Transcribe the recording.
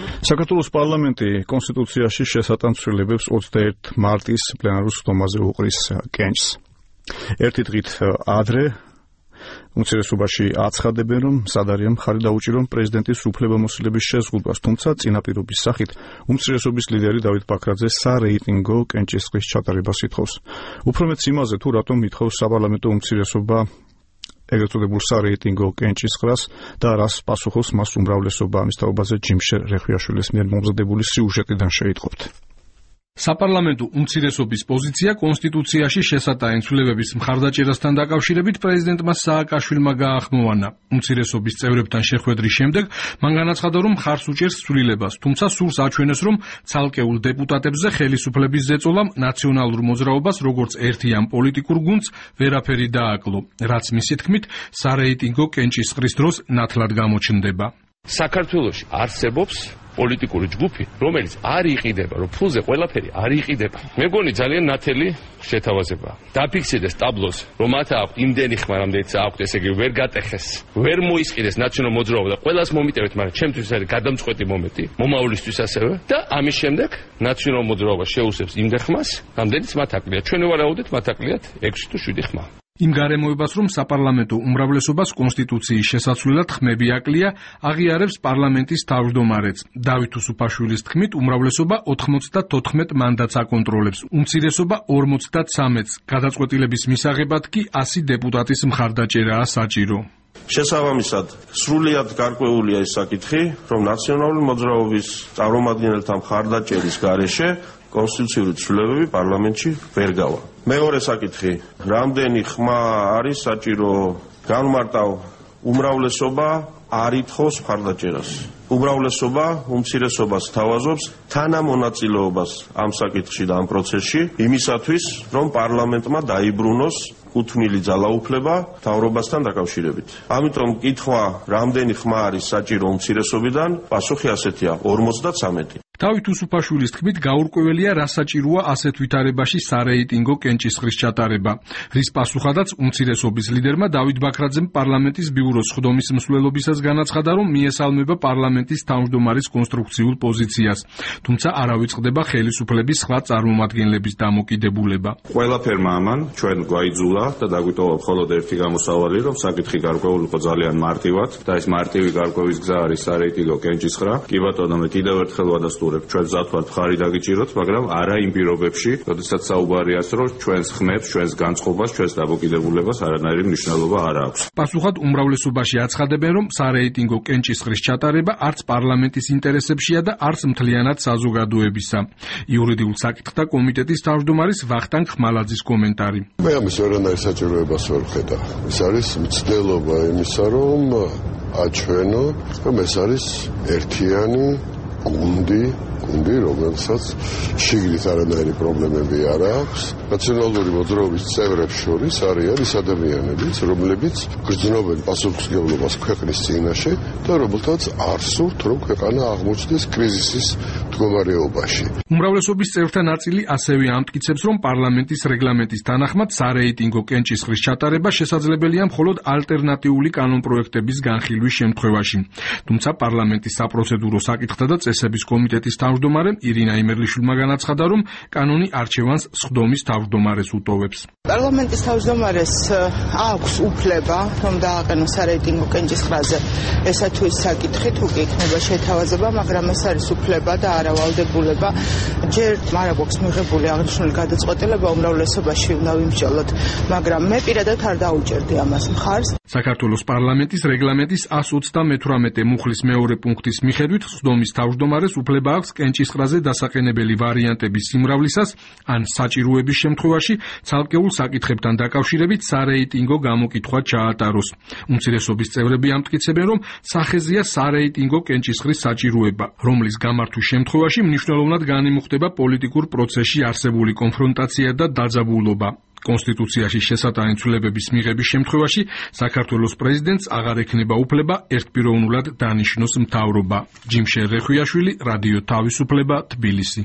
საქართველოს პარლამენტი კონსტიტუციაში შესატანცვლებებს 21 მარტის პლენარულ სხდომაზე უყრის კენჭს. ერთი დღით ადრე უმცირესობაში აცხადებენ, რომ სად არის მხარი დაუჭირონ პრეზიდენტის უფლებამოსილების შეზღუდვას, თუმცა წინაპირობის სახით უმცირესობის ლიდერი დავით ბაქრაძე სარეიტინგო კენჭისყრის ჩატარებას ითხოვს. უფრო მეც იმაზე, თუ რატომ ითხოვს საპარლამენტო უმცირესობა ეგრეთ წოდებულ სარეიტინგო კენჭისყრას და რას პასუხობს მას უმრავლესობა, ამის თაობაზე ჯიმშერ რეხვიაშვილის მიერ მომზადებული სიუჟეტიდან შეიტყობთ. საპარლამენტო უმცირესობის პოზიცია კონსტიტუციაში შესატანცვლებების მხარდაჭერასთან დაკავშირებით პრეზიდენტმა სააკაშვილმა გაახმოვანა. უმცირესობის წევრებთან შეხვედრის შემდეგ მან განაცხადა, რომ მხარს უჭერს ცვლილებას, თუმცა სურს აჩვენოს, რომ ცალკეულ დეპუტატებზე ხელისუფლების ზეწოლამ ნაციონალურ მოძრაობას როგორც ერთიან პოლიტიკურ გუნდს ვერაფერი დააკლო, რაც მისი თქმით სარეიტინგო კენჭისყრის დროს ნათლად გამოჩნდება. საქართველოში არსებობს პოლიტიკური ჯგუფი, რომელიც არ იყიდება, რომ ფულზე ყველაფერი არ იყიდება. მე მგონი ძალიან ნათელი შეთავაზებაა. დაფიქსირდეს ტაბლოს, რომ მათ აქვს იმდენი ხმა, რამდენიც აქვს, ესე იგი ვერ გატეხეს, ვერ მოისყიდეს ნაციონალურ მოძრაობა და ყველას მომიტევეთ, მაგრამ ჩემთვის არის გადამწყვეტი მომენტი, მომავლისთვის ასევე და ამის შემდეგ ნაციონალურ მოძრაობა შეუსებს იმდენ ხმას, რამდენიც მათ აკლია. ჩვენ ვარაუდეთ, მათ აკლიათ 6 თუ 7 ხმა. იმ გარემოებას, რომ საპარლამენტო უმრავლესობას კონსტიტუციის შესაცვლელად ხმები აკლია, აღიარებს პარლამენტის თავმჯდომარეც. დავით უსუფაშვილის თქმით, უმრავლესობა 94 მანდატს აკონტროლებს, უმცირესობა 53-ს. გადაწყვეტილების მისაღებად კი 100 დეპუტატის მხარდაჭერაა საჭირო. შესაბამისად, სრულიად გარკვეულია ის საკითხი, რომ ნაციონალური მოძრაობის წარმომადგენელთა მხარდაჭერის გარეშე კონსტიტუციური ცვლილებები პარლამენტში ვერ გავა. მეორე საკითხი, რამდენი ხმა არის საჭირო განმარტავ უმრავლესობა არ ითხოვს მხარდაჭერას. უმრავლესობა უმცირესობას თავაზობს თანამონაწილეობას ამ საკითხში და ამ პროცესში იმისათვის, რომ პარლამენტმა დაიბრუნოს კუთვნილი ძალაუფლება მთავრობასთან დაკავშირებით. ამიტომ კითხვა, რამდენი ხმა არის საჭირო უმცირესობიდან, პასუხი ასეთია: 53. დავით უსუფაშვილის თქმით, გაურკვეველია, რა საჭიროა ასეთ ვითარებაში სარეიტინგო კენჭისყრის ჩატარება. რის პასუხადაც უმცირესობის ლიდერმა დავით ბაქრაძემ პარლამენტის ბიუროს სხდომის მსვლელობისას განაცხადა, რომ მიესალმება პარლამენტის თავმჯდომარის კონსტრუქციულ პოზიციას, თუმცა არ ავიწყდება ხელისუფლების სხვა წარმომადგენლების დამოკიდებულება. ყველაფერმა ამან ჩვენ გვაიძულა და დაგვიტოვა მხოლოდ ერთი გამოსავალი, რომ საკითხი გარკვეული იყო ძალიან მარტივად და ეს მარტივი გარკვევის გზა არის სარეიტინგო კენჭისყრა. კი ბატონო, მე კიდევ ერთხელ ვადასტურებ, ჩვენ ზათვართ მხარი დაგიჭიროთ, მაგრამ არა იმ პირობებში, როდესაც საუბარია, რომ ჩვენს ხმებს, ჩვენს განწყობას, ჩვენს დამოკიდებულებას არანაირი მნიშვნელობა არ აქვს. პასუხად უმრავლესობაში აცხადებენ, რომ სარეიტინგო კენჭისყრის ჩატარება არც პარლამენტის ინტერესებშია და არც მთლიანად საზოგადოებისა. იურიდიულ საკითხთა კომიტეტის თავმჯდომარის ვახტანგ ხმალაძის კომენტარი. მე ამის ვერანაირ საჭიროებას ვერ ვხედავ. ეს არის მცდელობა იმისა, რომ აჩვენო, რომ ეს არის ერთიანი გუნდი, რომელსაც შიგნით არანაირი პრობლემები არ აქვს. ნაციონალური მოძრაობის წევრებს შორის არიან ის ადამიანებიც, რომლებიც გრძნობენ პასუხისმგებლობას ქვეყნის წინაშე და რომელთაც არ სურთ, რომ ქვეყანა აღმოჩნდეს კრიზისის მდგომარეობაში. უმრავლესობის წევრთა ნაწილი ასევე ამტკიცებს, რომ პარლამენტის რეგლამენტის თანახმად სარეიტინგო კენჭისყრის ჩატარება შესაძლებელია მხოლოდ ალტერნატიული კანონპროექტების განხილვის შემთხვევაში. თუმცა პარლამენტის საპროცედურო საკითხთა და წესების კომიტეტის თავმჯდომარემ ირინა იმერლიშვილმა განაცხადა, რომ კანონი არჩევანს სხდომის თავმჯდომარეს უტოვებს. პარლამენტის თავმჯდომარეს აქვს უფლება, რომ დააყენოს სარეიტინგო კენჭისყრაზე ესა თუ ის საკითხი, თუ კი იქნება შეთავაზება, მაგრამ ეს არის უფლება და არა ვალდებულება. ჯერ არ აქვს მიღებული აღნიშნული გადაწყვეტილება, უმრავლესობაში უნდა ვიმსჯელოთ, მაგრამ მე პირადად არ დაუჭერდი ამას მხარს. საქართველოს პარლამენტის რეგლამენტის 138 მუხლის მეორე პუნქტის მიხედვით სხდომის თავმჯდომარეს უფლება აქვს კენჭისყრაზე დასაყენებელი ვარიანტების სიმრავლისას ან საჭიროების შემთხვევაში ცალკეულ საკითხებთან დაკავშირებით სარეიტინგო გამოკითხვა ჩაატაროს. უმცირესობის წევრები ამტკიცებენ, რომ სახეზეა სარეიტინგო კენჭისყრის საჭიროება, რომლის გამართვის შემთხვევაში მნიშვნელოვნად განიმუხტება პოლიტიკურ პროცესში არსებული კონფრონტაცია და დაძაბულობა. კონსტიტუციაში შესატანცვლებების მიღების შემთხვევაში საქართველოს პრეზიდენტს აღარ ექნება უფლება ერთპიროვნულად დანიშნოს მთავრობა. ჯიმშერ რეხვიაშვილი, რადიო თავისუფლება, თბილისი.